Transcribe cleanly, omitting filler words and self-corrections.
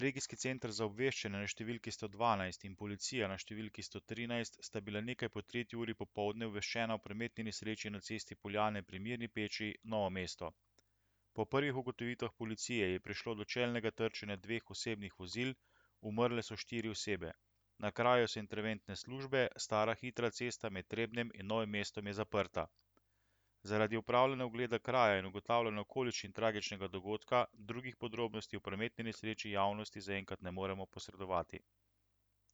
Regijski center za obveščanje na številki 112 in policija na številki 113 sta bila nekaj po 3. uri popoldne obveščena o prometni nesreči na cesti Poljane pri Mirni Peči, Novo mesto. Po prvih ugotovitvah policije je prišlo do čelnega trčenja dveh osebnih vozil, umrle so 4 osebe. Na kraju so interventne službe, stara hitra cesta med Trebnjem in Novim mestom je zaprta. Zaradi opravljanja ogleda kraja in ugotavljanja okoliščin tragičnega dogodka, drugih podrobnosti o prometni nesreči javnosti zaenkrat ne moremo posredovati.